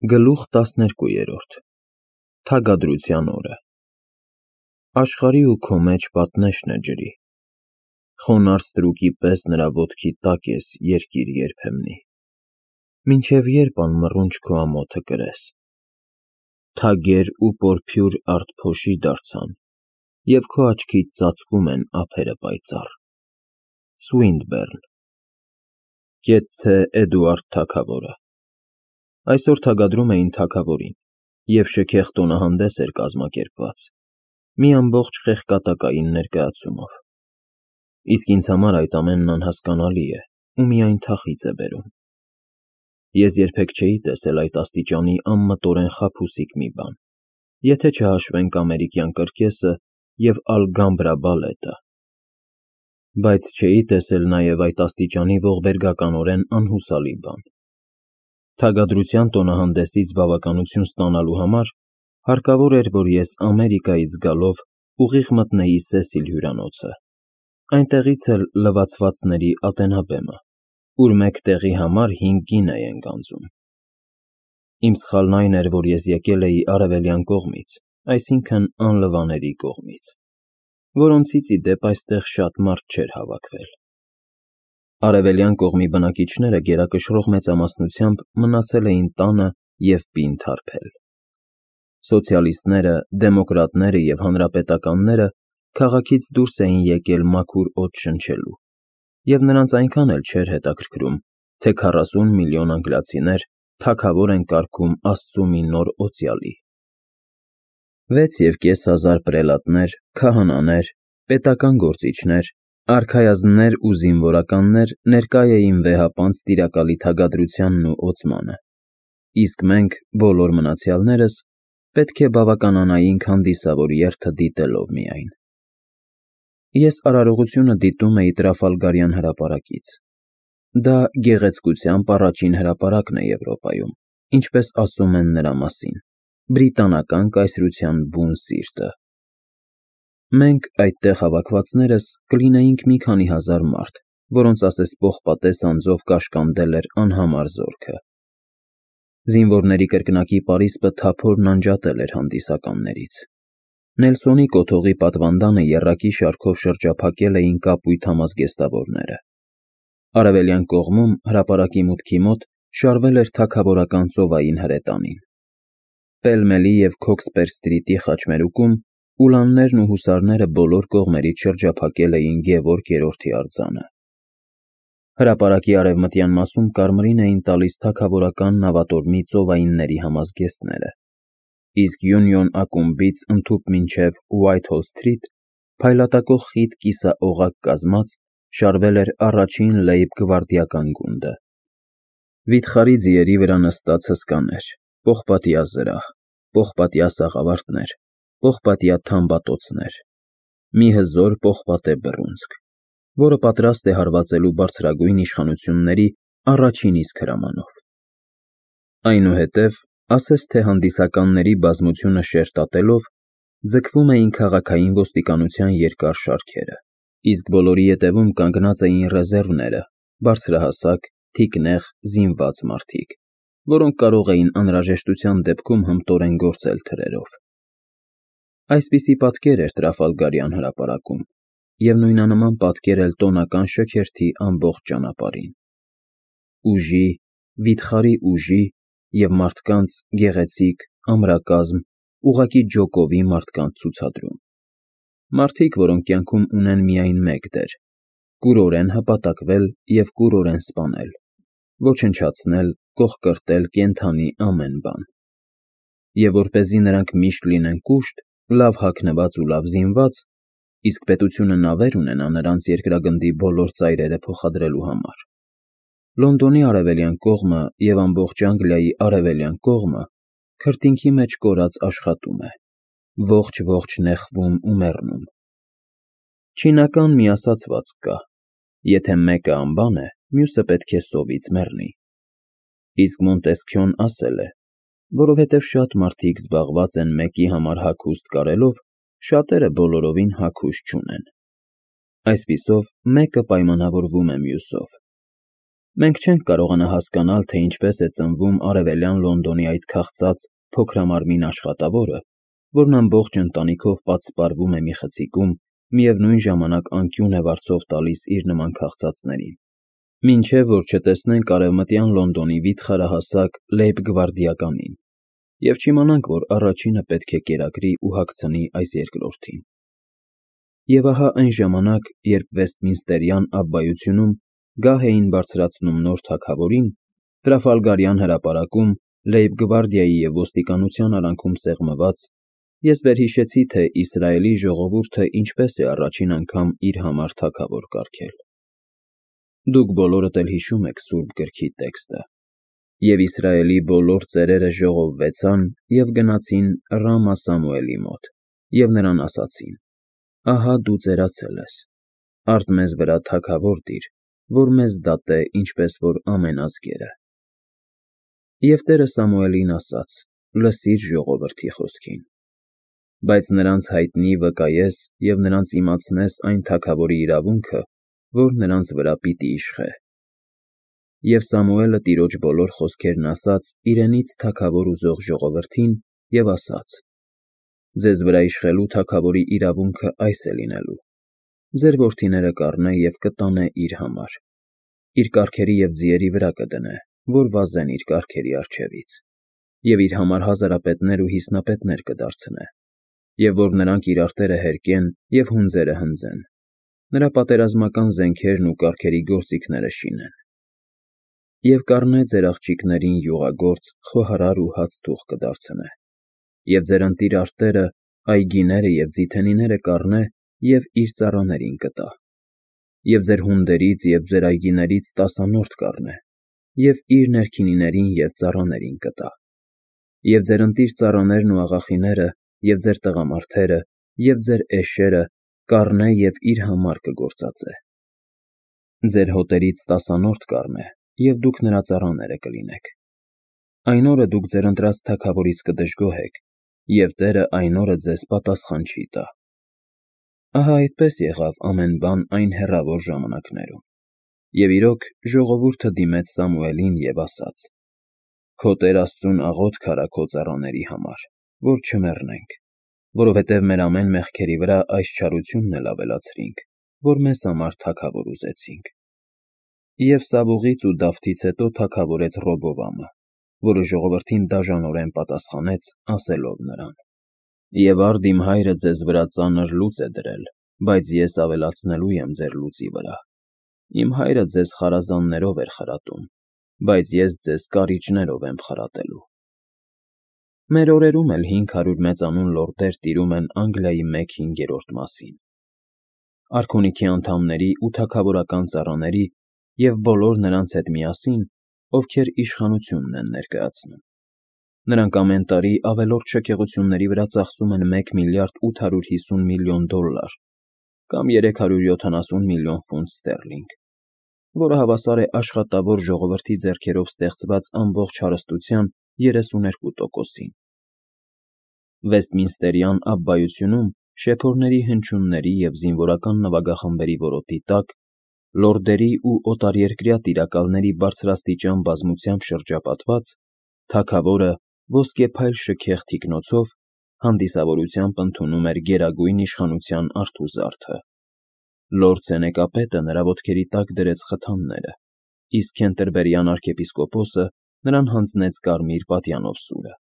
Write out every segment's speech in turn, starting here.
Գլուխ 12 Թագադրության օրը Աշխարհի ու քո մեջ պատնեշն է ջրի, խոնարհ ստրուկի պես նրա ոտքի տակ ես երկիր երբեմնի, մինչև երբ անմռունչ քո ամոթը կրես, թագեր ու պորփյուր արդ փոշի դարձան, և քո աչքից ծածկում են ափերը պայծառ, Սուինդբերն Կեցցե Էդուարդ թագավորը Այսօր թագադրում էին թագավորին, և շքեղ տոնահանդես էր կազմակերպված, մի ամբողջ խեղկատակային ներկայացումով, իսկ ինձ համար այդ ամենն անհասկանալի է ու միայն թախիծ է բերում, ես երբեք չէի տեսել այդ աստիճանի անմտորեն խաբուսիկ մի բան, եթե չհաշվենք ամերիկյան կրկեսը և Ալգամբրա բալետը, բայց չէի տեսել նաև այդ աստիճանի ողբերգականորեն անհուսալի բան, թագադրության տոնահանդեսից բավականություն ստանալու համար հարկավոր էր, որ ես Ամերիկայից գալով ուղիղ մտնեի Սեսիլ հյուրանոցը, այնտեղից էլ լվացվածների ատենաբեմը, ուր մեկ տեղի համար 5 գինե են գանձում, իմ սխալն այն էր, որ ես եկել էի արևելյան կողմից, այսինքն անլվաների կողմից, որոնցից ի դեպ այստեղ շատ մարդ չէր հավաքվել, արևելյան կողմի բնակիչները գերակշռող մեծամասնությամբ մնացել էին տանը և պինդ թարփել, սոցիալիստները, դեմոկրատները և հանրապետականները քաղաքից դուրս էին եկել մաքուր օդ շնչելու, և նրանց այնքան էլ չէր հետաքրքրում, թե 40 միլիոն անգլիացիներ թագավոր են կարգում Աստծու մի նոր օծյալի, 6,500 պրելատներ, քահանաներ, պետական գործիչներ, արքայազններ ու զինվորականներ ներկա էին վեհապանծ տիրակալի թագադրությանն ու օծմանը, իսկ մենք, բոլոր մնացյալներս, պետք է բավականանայինք հանդիսավոր երթը դիտելով միայն, ես արարողությունը դիտում էի Տրաֆալգարյան հրապարակից, դա գեղեցկությամբ առաջին հրապարակն է Եվրոպայում, ինչպես ասում են նրա մասին, բրիտանական կայսրության բուն սիրտը, մենք այդտեղ հավաքվածներս կլինեինք մի քանի հազար մարդ, որոնց ասես պողպատես անձով կաշկանդել էր անհամար զորքը, զինվորների կրկնակի պարիսպը թափորն անջատել էր հանդիսականներից, Նելսոնի կոթողի պատվանդանը եռակի շարքով շրջափակել էին կապույտ համազգեստավորները, արևելյան կողմում հրապարակի մուտքի մոտ շարվել էր թագավորական ծովային հրետանին, Պելմելի և Քոքսպեր սթրիթի խաչմերուկում ուլաններն ու հուսարները բոլոր կողմերից շրջափակել էին Գևորգ III արձանը, հրապարակի արևմտյան մասում կարմիրին էին տալիս թագավորական նավատորմի ծովայինների համազգեստները, իսկ Յունիոն ակումբից ընդհուպ մինչև Ուայթհոլ սթրիթ փայլատակող խիտ կիսաօղակ կազմած շարվել էր առաջին լեյբ-գվարդիական գունդը, վիթխարի ձիերի վրա նստած հսկաներ, պողպատյա զրահ, պողպատյա սաղավարտներ, պողպատյա թամբատոցներ, մի հզոր պողպատե բռունցք, որը պատրաստ է հարվածելու բարձրագույն իշխանությունների առաջին իսկ հրամանով, այնուհետև, ասես թե հանդիսականների բազմությունը շերտատելով, ձգվում էին քաղաքային ոստիկանության երկար շարքերը, իսկ բոլորի ետևում կանգնած էին ռեզերվները, բարձրահասակ, թիկնեղ, զինված մարդիկ, որոնք կարող էին անհրաժեշտության դեպքում հմտորեն գործել թրերով, այսպիսի պատկեր էր Տրաֆալգարյան հրապարակում և նույնանման պատկեր էլ տոնական շքերթի ամբողջ ճանապարհին, ուժի, վիթխարի ուժի և մարդկանց գեղեցիկ, ամրակազմ, ուղղակի ջոկովի մարդկանց ցուցադրում, մարդիկ, որոնք կյանքում ունեն միայն մեկ դեր, կուրորեն հպատակվել և կուրորեն սպանել, ոչնչացնել, կոխկրտել կենդանի ամեն բան, և որպեսզի նրանք միշտ լինեն կուշտ, լավ հագնված ու լավ զինված, իսկ պետությունը նավեր ունենա նրանց երկրագնդի բոլոր ծայրերը փոխադրելու համար, Լոնդոնի արևելյան կողմը և ամբողջ Անգլիայի արևելյան կողմը քրտինքի մեջ կորած աշխատում է, ողջ նեղվում ու մեռնում, չինական մի ասացվածք կա, եթե մեկը անբան է, մյուսը պետք է սովից մեռնի, իսկ Մոնտեսքյոն ասել է, որովհետև շատ մարդիկ զբաղված են մեկի համար հագուստ կարելով, շատերը բոլորովին հագուստ չունեն, այսպիսով մեկը պայմանավորվում է մյուսով, Մենք չենք կարողանա հասկանալ, թե ինչպես է ծնվում արևելյան Լոնդոնի այդ քաղցած փոքրամարմին աշխատավորը, որն ամբողջ ընտանիքով պատսպարվում է մի խցիկում, միևնույն ժամանակ անկյուն է վարձով տալիս իր նման քաղցածներին, մինչև որ չտեսնենք արևմտյան Լոնդոնի վիթխարահասակ լեյբգվարդիականին, և չիմանանք, որ առաջինը պետք է կերակրի ու հագցնի այս երկրորդին։ Եվ ահա այն ժամանակ, երբ Վեսթմինստերյան Աբբայությունում գահ էին բարձրացնում նոր թագավորին, Տրաֆալգարյան հրապարակում, Լեյբգվարդիայի և ոստիկանության արանքում սեղմված, ես վերհիշեցի, թե Իսրայելի ժողովուրդը ինչպես է առաջին անգամ իր համար թագավոր կարգել։ Դուք բոլորդ էլ հիշում եք Սուրբ Գրքի տեքստը. «Եվ Իսրայելի բոլոր ծերերը ժողովվեցան և գնացին Ռամա Սամուելի մոտ, և նրան ասացին. ահա դու ծերացել ես, արդ մեզ վրա թագավոր դիր, որ մեզ դատե, ինչպես որ ամեն ազգերը։ Եվ Տերը Սամուելին ասաց. լսիր ժողովրդի խոսքին, բայց նրանց հայտնի վկայես և նրանց իմացնես այն թագավորի իրավունքը, որ նրանց վրա պիտի իշխե։ Եվ Սամուելը Տիրոջ բոլոր խոսքերն ասաց իրենից թագավոր ուզող ժողովրդին և ասաց. ձեզ վրա իշխելու թագավորի իրավունքը այս է լինելու. ձեր որդիները կառնե և կտանե իր համար, իր կառքերի և ձիերի վրա կդնե, որ վազեն իր կառքերի առջևից, և իր համար հազարապետներ ու հիսնապետներ կդարձնե, և որ նրանք իր արտերը հերկեն և հունձերը հնձեն, նրա պատերազմական զենքերն ու կառքերի գործիքները շինեն։ Եվ կառնե ձեր աղջիկներին յուղագործ, խոհարար ու հացթուղ կդարձնե, և ձեր ընտիր արտերը, այգիները և ձիթենիները կառնե և իր ծառաներին կտա, և ձեր հունդերից և ձեր այգիներից տասանորդ կառնե, և իր ներքինիներին և ծառաներին կտա, և ձեր ընտիր ծառաներն ու աղախիները, և ձեր տղամարդերը, և ձեր էշերը կառնե և իր համար կգործածե։ Ձեր հոտերից տասանորդ կառնե, և դուք նրա ծառաները կլինեք։ Այն օրը դուք ձեր ընտրած թագավորից կդժգոհեք, և Տերը այն օրը ձեզ պատասխան չի տա։ Ահա այդպես եղավ ամեն բան այն հեռավոր ժամանակներում։ Եվ իրոք, ժողովուրդը դիմեց Սամուելին և ասաց. քո Տեր Աստծուն աղոթք արա քո ծառաների համար, որ չմեռնենք, որովհետև մեր ամեն մեղքերի վրա այս չարությունն էլ ավելացրինք, որ մեզ համար թագավոր ուզեցինք։ Եվ Սավուղից ու Դավթից հետո թագավորեց Ռոբովամը, որը ժողովրդին դաժանորեն պատասխանեց, ասելով նրան. «Եվ արդ իմ հայրը ձեզ վրա ծանր լուծ է դրել, բայց ես ավելացնելու եմ ձեր լուծի վրա։ Իմ հայրը ձեզ խարազաններով էր խրատում, բայց ես ձեզ կարիճներով եմ խրատելու»։ Մեր օրերում էլ 500 մեծանուն լորդեր տիրում են Անգլիայի 1/5 մասին։ Արքունիքի անդամների ու թագավորական ծառաների և բոլոր նրանց հետ միասին, ովքեր իշխանությունն են ներկայացնում։ Նրանք ամեն տարի ավելորդ շքեղությունների վրա ծախսում են $1 միլիարդ 850 միլիոն կամ 370 միլիոն ֆունտ ստերլինգ, որը հավասար է աշխատավոր ժողովրդի ձեռքերով ստեղծված ամբողջ հարստության 32%-ին։ Վեսթմինստերյան Աբբայությունում շեփորների հնչյունների և զինվորական նվագախմբերի որոտի տակ, լորդերի ու օտարերկրյա տիրակալների բարձրաստիճան բազմությամբ շրջապատված, թագավորը ոսկեփայլ շքեղ թիկնոցով հանդիսավորությամբ ընդունում էր գերագույն իշխանության արթուզարդը։ Լորդ Սենեկապետը նրա ոտքերի տակ դրեց խթանները, իսկ Քենտերբերյան arczepiskopos-ը նրան հանձնեց կարմիր պատյանով սուրը,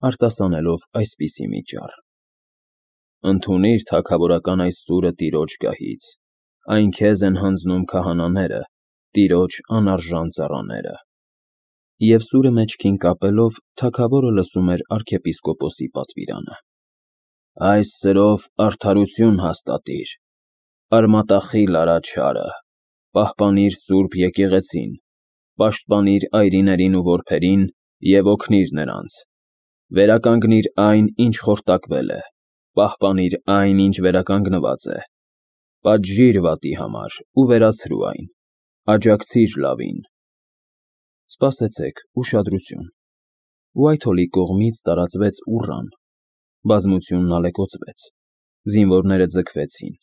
արտասանելով այսպիսի մի ճառ. «Ընդունիր թագավորական այս սուրը Տիրոջ գահից, այն քեզ են հանձնում քահանաները, Տիրոջ անարժան ծառաները»։ Եվ սուրը մեջքին կապելով, թագավորը լսում էր arczepiskopos-ի պատվիրանը. «Այս սրով արդարություն հաստատիր, արմատախիլ արա չարը, պահպանիր սուրբ եկեղեցին, պաշտպանիր այրիներին ու որբերին և օգնիր նրանց, վերականգնիր այն, ինչ խորտակվել է, պահպանիր այն, ինչ վերականգնված է, պատժիր վատի համար ու վերացրու այն, աջակցիր լավին»։ Սպասեցեք, ուշադրություն։ Ուայթհոլի կողմից տարածվեց ուռան, բազմությունն ալեկոծվեց, զինվորները ձգվեցին,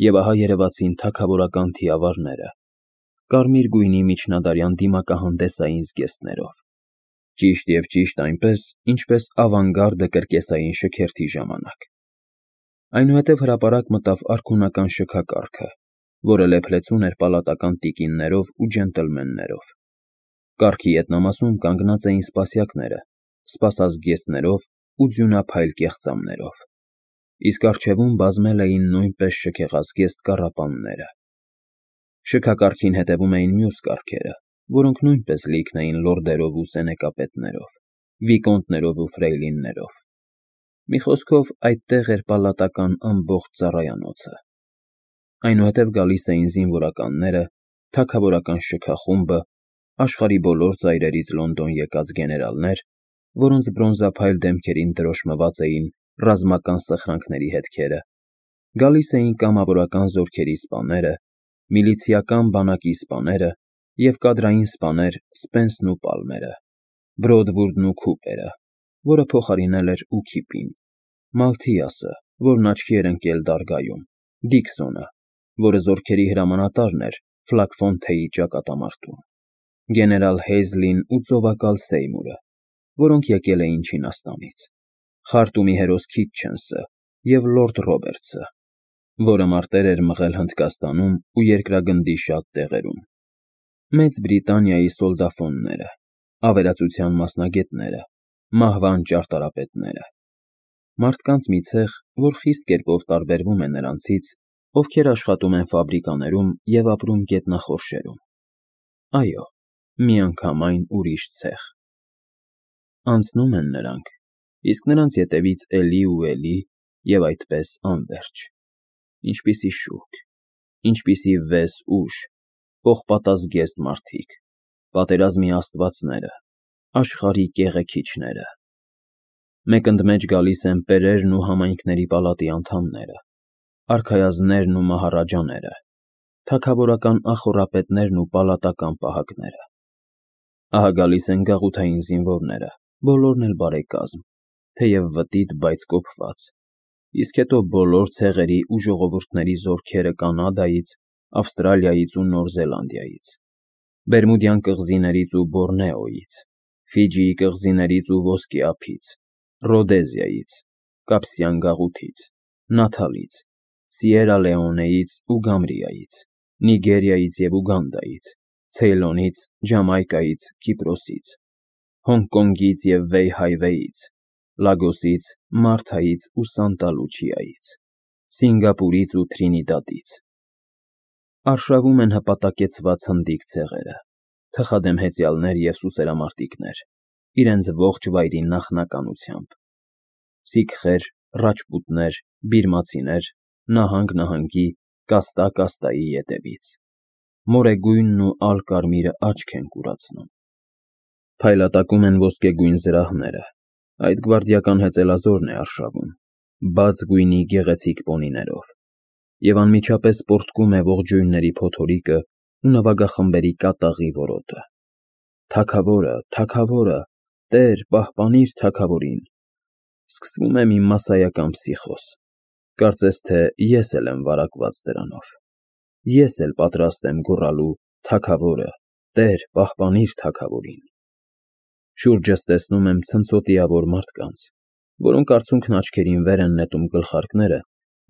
և ահա երևացին թագավորական թիավարները, կարմիր գույնի միջնադարյան դիմակահանդեսային զգեստներով։ Ճիշտ և ճիշտ այնպես, ինչպես ավանգարդը կրկեսային շքերթի ժամանակ։ Այնուհետև հրապարակ մտավ արքունական շքակառքը, որը լեփլեցուն էր պալատական տիկիններով ու ջենտլմեններով։ Կառքի ետնամասում կանգնած էին սպասյակները, սպասազգեստներով ու ձյունափայլ կեղծամներով, իսկ առջևում բազմել էին նույնպես շքեղազգեստ կառապանները։ Շքակառքին հետևում էին մյուս կառքերը, որոնք նույնպես լիքն էին լորդերով ու սենեկապետներով, վիկոնտներով ու ֆրեյլիններով։ Մի խոսքով, այդտեղ էր պալատական ամբողջ ծառայանոցը։ Այնուհետև գալիս էին զինվորականները, թագավորական շքախումբը, աշխարհի բոլոր ծայրերից Լոնդոն եկած գեներալներ, որոնց բրոնզափայլ դեմքերին դրոշմված էին ռազմական սխրանքների հետքերը, գալիս էին կամավորական զորքերի սպաները, միլիցիական բանակի սպաները և կադրային սպաներ Սպենսն ու Պալմերը, Բրոդվուրդն ու Քուպերը, որը փոխարինել էր Ուքիպին, Մալթիասը, որն աչքի էր ընկել դարգայում, Դիքսոնը, որը զորքերի հրամանատարն էր Ֆլակֆոնթեի ճակատամարտում, գեներալ Հեյզլին ու ծովակալ Սեյմուրը, որոնք եկել էին Չինաստանից, Խարտումի հերոս Քիթչենսը և լորդ Ռոբերտսը, որը մարտեր էր մղել Հնդկաստանում ու երկրագնդի շատ տեղերում, Մեծ Բրիտանիայի սոլդաֆոնները, ավերածության մասնագետները, մահվան ճարտարապետները, մարդկանց մի ցեղ, որ խիստ կերպով տարբերվում է նրանցից, ովքեր աշխատում են ֆաբրիկաներում և ապրում գետնախորշերում։ Այո, միանգամայն ուրիշ ցեղ։ Անցնում են նրանք, իսկ նրանց ետևից էլի ու էլի և այդպես անվերջ։ Ինչպիսի շուրջ, ինչպիսի վես ուժ, պողպատազգեստ մարդիկ, պատերազմի աստվածները, աշխարհի կեղեքիչները։ Մեկընդմեջ գալիս են պերերն ու համայնքների պալատի անդամները, արքայազններն ու մահարաջաները, թագավորական ախոռապետներն ու պալատական պահակները։ Ահա գալիս են գաղութային զինվորները, բոլորն էլ բարեկազմ, թեև վտիտ, բայց կոփված, իսկ հետո բոլոր ցեղերի ու ժողովուրդների զորքերը Կանադայից, Ավստրալիայից ու Նոր Զելանդիայից, Բերմուդյան կղզիներից ու Բորնեոյից, Ֆիջիի կղզիներից ու Ոսկի ափից, Ռոդեզիայից, Կապսյան գաղութից, Նաթալից, Սիերա Լեոնեից ու Գամբիայից, Նիգերիայից և Ուգանդայից, Ցեյլոնից, Ջամայկայից, Կիպրոսից, Հոնկոնգից և Վեյհայվեյից, Լագոսից, Մարթայից ու Սանտա Լուչիայից, Սինգապուրից ու Թրինիդադից։ Արշավում են հպատակեցված հնդիկ ցեղերը, թխադեմ հեծյալներ և սուսերամարտիկներ, իրենց ողջ վայրի նախնականությամբ, սիկխեր, ռաջպուտներ, բիրմացիներ, նահանգ֊նահանգի, կաստա֊կաստայի ետևից։ Մորեգույնն ու ալկարմիրը աչք են կուրացնում։ Փայլատակում են ոսկեգույն զրահները, այդ գվարդիական հեծելազորն է արշավում, բաց գույնի գեղեցիկ պոնիներով, և անմիջապես պոռթկում է ողջույնների փոթորիկը ու նվագախմբերի կատաղի որոտը։ Թագավորը, թագավորը, Տեր, պահպանիր թագավորին։ Սկսվում է մի մասսայական պսիխոզ։ Կարծես թե ես էլ եմ վարակված դրանով։ Ես էլ պատրաստ եմ գոռալու թագավորը, Տեր, պահպանիր թագավորին։ Շուրջս տեսնում եմ ցնցոտիավոր մարդկանց, որոնք արցունքն աչքերին վեր են նետում գլխարկները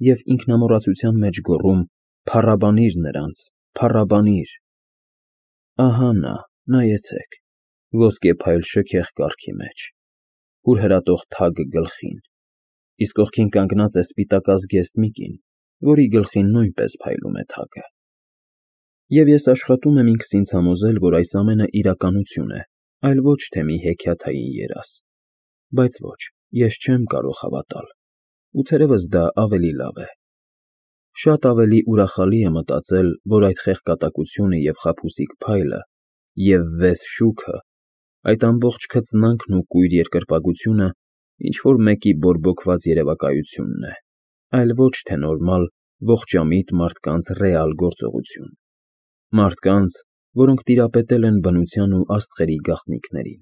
և ինքնամոռացության մեջ գոռում. «Փառաբանիր նրանց, փառաբանիր»։ Ահա նա, նայեցեք, ոսկեփայլ շքեղ կառքի մեջ, հուրհրատող թագ գլխին, իսկ կողքին կանգնած է սպիտակազգեստ մի կին, որի գլխին նույնպես փայլում է թագը։ Եվ ես աշխատում եմ ինքս ինձ համոզել, որ այս ամենը իրականություն է, այլ ոչ թե մի հեքիաթային երազ։ Բայց ոչ, ես չեմ կարող հավատալ, ու թերևս դա ավելի լավ է։ Շատ ավելի ուրախալի է մտածել, որ այդ խեղկատակությունը և խաբուսիկ փայլը և վես շուքը, այդ ամբողջ քծնանքն ու կույր երկրպագությունը ինչ֊որ մեկի բորբոքված երևակայությունն է, այլ ոչ թե նորմալ, ողջամիտ մարդկանց ռեալ գործողություն, մարդկանց, որոնք տիրապետել են բնության ու աստղերի գաղտնիքներին։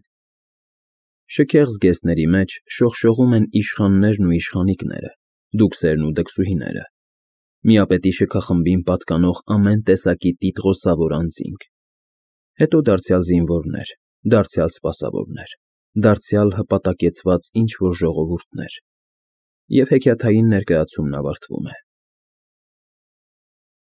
Շքեղ զգեստների մեջ շողշողում են իշխաններն ու իշխանիկները, դուքսերն ու դքսուհիները, Միապետի շքախմբին պատկանող ամեն տեսակի տիտղոսավոր անձինք, հետո դարձյալ զինվորներ, դարձյալ սպասավորներ, դարձյալ հպատակեցված ինչ֊որ ժողովուրդներ, և հեքիաթային ներկայացումն ավարտվում է։